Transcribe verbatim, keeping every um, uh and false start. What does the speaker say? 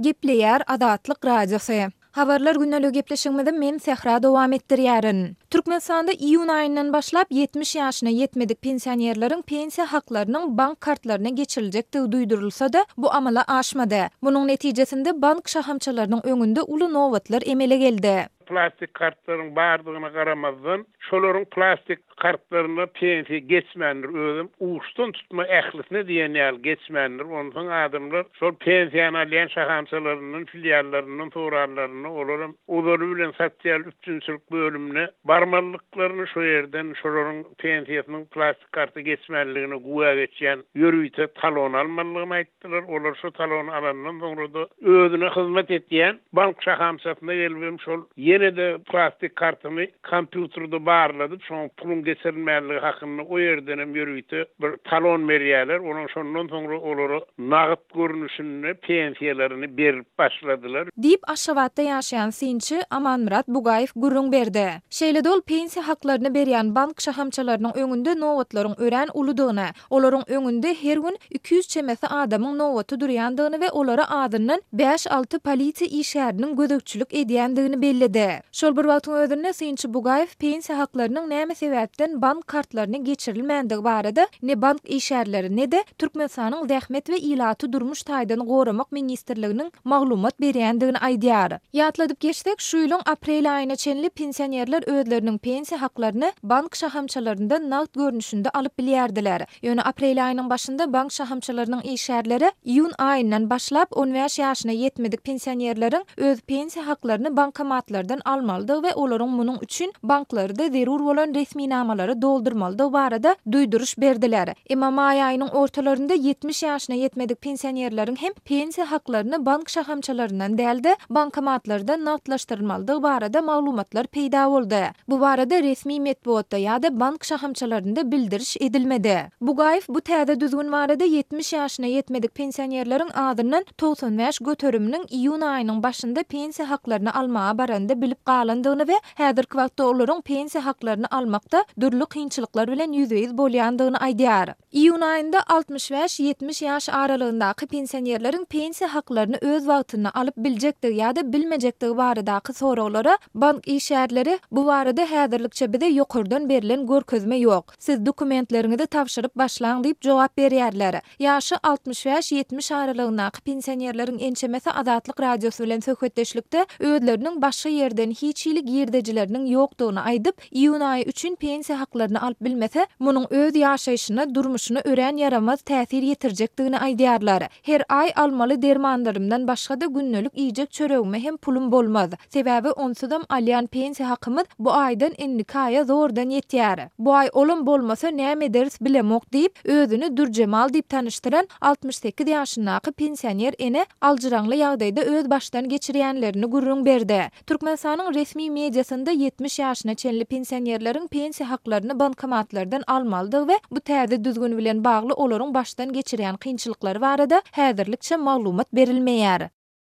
Gepleýär Azatlyk Radiosy. Habarlar gündeligi gepleşigimizi men Sähra dowam etdirýärin. Türkmenistanda iýun aýyndan başlap ýetmiş ýaşyna ýetmedik pensionerleriň pensiýa haklarynyň bank kartlaryna geçiriljekdigi duýdurylsa-da, bu amala aşmady. Munuň netijesinde bank şahamçalarynyň öňünde uly nobatlar emele geldi. Plastik kartlaryň bardygyna garamazdan, şolaryň plastik kartlaryna pensiýa geçmändir, özem uçdan tutma ählisine diýen ýaly geçmändir. Onsoň adamlar şol pensiýany alýan şahamçalaryndan, filiallaryndan soranlarynda, olaram ozaly bilen sosial üpjünçilik bölümine barmalydyklaryny, şo ýerden şolaryň pensiýasynyň plastik karta geçmänligine güwä geçýän ýörite talon almalydygyny aýtdylar. Olar şo talony alandan soňra-da özüne hyzmat etýän bank şahamçasyna gelibem şol ýene-de plastik kartyny kompýuterde barladyp, şoň puluň geçirilmänligi hakynda o ýerdenem ýörite bir talon berýärler. Onuň şondan soňra olara nagt görnüşinde pensiýalaryny berip başladylar. Diýip, Aşgabatda ýaşaýan synçy Amanmyrat Bugaýew gürrüň berdi. Şeýle-de ol pensiýa haklaryny berýän bank şahamçalarynyň öňünde nobatlaryň örän uludygyny, olaryň öňünde her gün iki ýüz çemesi adamyň nobaty durýandygyny we olara azyndan bäş-alty polisiýa işgäriniň gözegçilik edýändigini belledi. Şol bir wagtyň özünde synçy Bugaýew pensiýa haklarynyň näme sebäpden bank kartlaryna geçirilmändigi barada ne bank işgärleri, ne-de Türkmenistanyň Zähmet we ilaty durmuş taýdan goramak ministrliginiň maglumat berýändigini aýdýar. Ýatladyp geçsek, şu ýylyň aprel aýyna çenli pensionerler özleriniň pensiýa haklaryny bank şahamçalaryndan nagt görnüşinde alyp bilýärdiler. Ýöne aprel aýynyň başynda bank şahamçalarynyň işgärleri iýun aýyndan başlap on bäş ýaşyna ýetmedik pensionerleriň öz pensiýa haklaryny bankomatlardan almalydygy we olaryň munuň üçin banklarda zerur bolan resminamalary doldurmalydygy barada duýduryş berdiler. Emma maý aýynyň ortalarynda ýetmiş ýaşyna ýetmedik pensionerleriň hem pensiýa haklaryny bank şahamçalaryndan däl-de, bankomatlardan nagtlaşdyrylmalydygy barada maglumatlar peýda boldy. Bu barada resmi metbugatda ýa-da bank şahamçalarynda bildiriş edilmedi. Bugaýew bu täze düzgün barada ýetmiş ýaşyna ýetmedik pensionerleriň azyndan togsan bäş göteriminiň iýun aýynyň başynda pensiýa haklaryny almaga baranda bilip galandygyny we häzirki wagtda olaryň pensiýa haklaryny almakda dürli kynçylyklar bilen ýüzbe-ýüz bolýandygyny aýdýar. Iýun aýynda altmyş bäş-ýetmiş ýaş aralygyndaky pensionerleriň pensiýa haklaryny öz wagtynda alyp biljekdigi ýa-da bilmejekdigi baradaky soraglara bank işgärleri bu barada häzirlikçe bize ýokardan berlen görkezme ýok. Siz dokumentleriňizi tabşyryp başlaň diýip jogap berýärler. Ýaşy altmyş bäş-ýetmiş aralygyndaky pensionerleriň ençemesi Azatlyk Radiosy bilen söhbetdeşlikde özleriniň başga ýerden hiç hili girdejileriniň ýokdugyny aýdyp, iýun aýy üçin pensiýa haklaryny alyp bilmese, munuň öz ýaşaýşyna, durmuşyna örän ýaramaz täsir ýetirjekdigini aýdýarlar. Her aý almaly dermanlarymdan başga-da gündelik iýjek çöregime hem pulum bolmaz. Sebäbi onsuzam alýan pensiýa hakymyz bu aýdan indiki aýa zordan ýetýär. Bu aý olam bolmasa näme ederis bilemok diýip, özüni Dürjemal diýip tanyşdyran altmyş sekiz ýaşyndaky pensioner ene aljyraňly ýagdaýda öz başdan geçirýänlerini gürrüň berdi. Türkmenistanyň resmi mediasynda ýetmiş ýaşyna çenli pensionerleriň pensiýa haklaryny bankomatlardan almalydygy we bu täze düzgün bilen bagly olaryň başdan geçirýän kynçylyklary barada häzirlikçe maglumat berilmeýär.